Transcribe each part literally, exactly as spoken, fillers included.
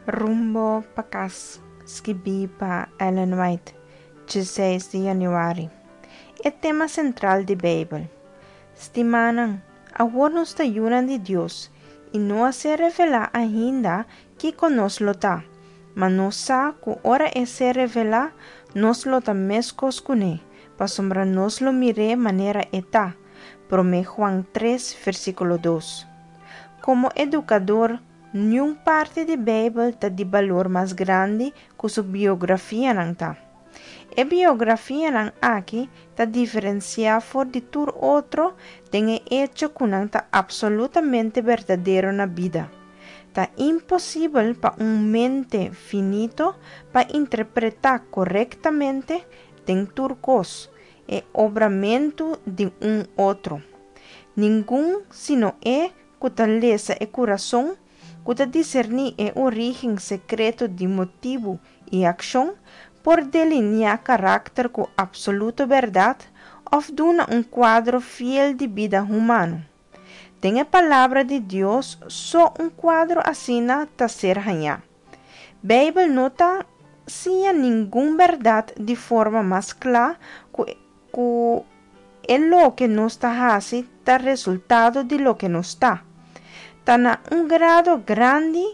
Rumbo pa Kas, skibí pa Ellen White, diesseis di yanüari. E tema sentral di Beibel. Stimánan, awor nos ta yunan di Dios, i no a ser revelá ainda kiko nos lo ta, ma nos sa ku ora E ser revelá, nos lo ta meskos kuné, pasobra nos lo mir'é manera E ta. Promé Juan tres, versíkulo dos. Komo edukador, niun parti di Beibel ta di balor mas grandi ku su biografianan ta. E biografianan aki ta diferensiá for di tur otro den e echo ku nan ta apsolutamente berdadero na bida. Ta imposibel pa un mente finito pa interpretá korektamente den tur kos e obramentu di un otro. Ningun sino E ku ta lesa e kurason, ku ta diserní e orígen sekreto di motibu i akshon, por deliniá karakter ku apsoluto bèrdat òf duna un kuadro fiel di bida humano. Den e Palabra di Dios so un kuadro asina ta ser hañá. Beibel no ta siña ningun bèrdat di forma mas kla ku ku e loke nos ta hasi ta resultado di loke nos ta. Ta na un grado grandi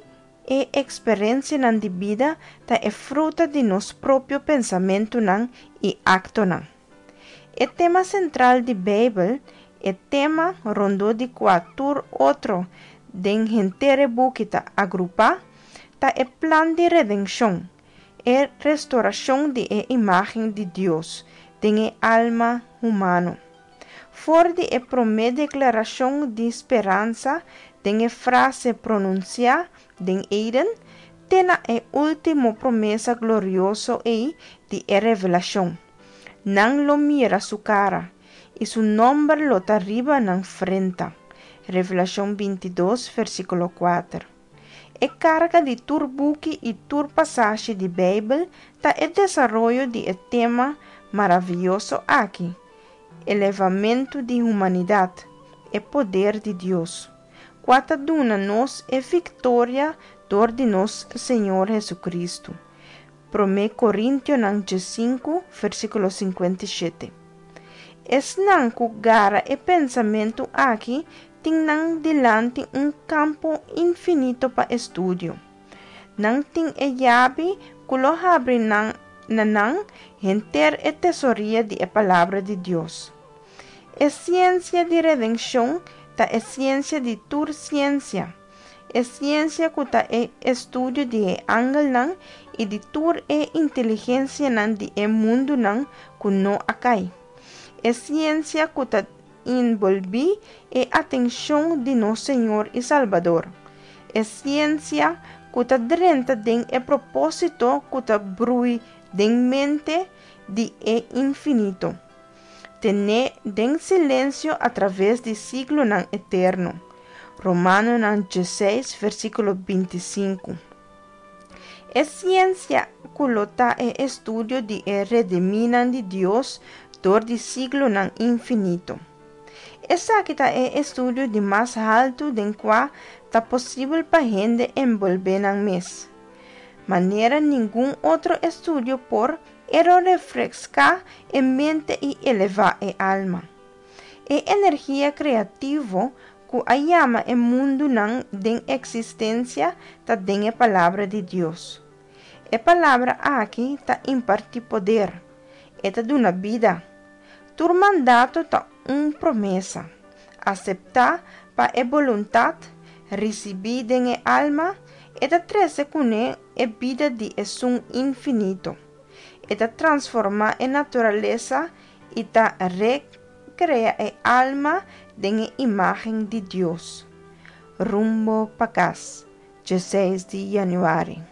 e eksperensianan di bida ta e fruta di nos propio pensamentunan i aktonan. E tema sentral di Beibel, e tema rondó di kua tur otro den henter e buki ta agrupá, ta e plan di redenshon, e restorashon di e imágen di Dios den e alma humano. For di e promé deklarashon di speransa den e frase pronunsiá den Eden, te na e último promesa glorioso ei di e Revelashon, Nan lo mira su kara, i su nòmber lo ta riba nan frenta. Revelashon bintidos, versíkulo kuater. E karga di tur buki i tur pasashi di Beibel ta e desaroyo di e tema maravioso aki, elevamentu di humanidat, e poder di Dios, kua ta duna nos e viktoria dor di nos Señor Hesukristu. Promé Korintionan diesinku, versíkulo sinkuenta i shete. Esnan ku gara e pensamentu aki tin nan dilanti un kampo infinito pa estudio. Nan tin e yabi ku lo habri nan na nan henter e tesoria di e Palabra di Dios. E siensia di redenshon ta e siensia di tur siensia, e siensia ku ta e estudio di e angelnan i di tur e inteligensianan di e mundunan ku no a kai, e siensia ku ta enbolbí e atenshon di nos Señor i Salbador, e siensia ku ta drenta den e propósito ku ta brui den mente di e Infinito, tené den silensio atraves di siglonan eterno. Romanonan diesseis, versíkulo binti sinku. E siensia ku lo ta e estudio di e redimínan di Dios dor di siglonan infinito. Esaki ta e estudio di mas haltu den kua ta posibel pa hende enbolbé nan mes. Manera ningun otro estudio por, e lo refreská e mente i elevá e alma. E energia kreativo ku a yama e mundunan den eksistensia ta den e Palabra di Dios. E Palabra aki ta impartí poder. E ta duna bida. Tur mandato ta un promesa, aseptá pa e boluntat, risibí den e alma, e ta trese kuné e bida di Esun Infinito. E ta transformá e naturalesa i ta rekrea e alma den e imágen di Dios. Rumbo pa Kas, diesseis di yanüari.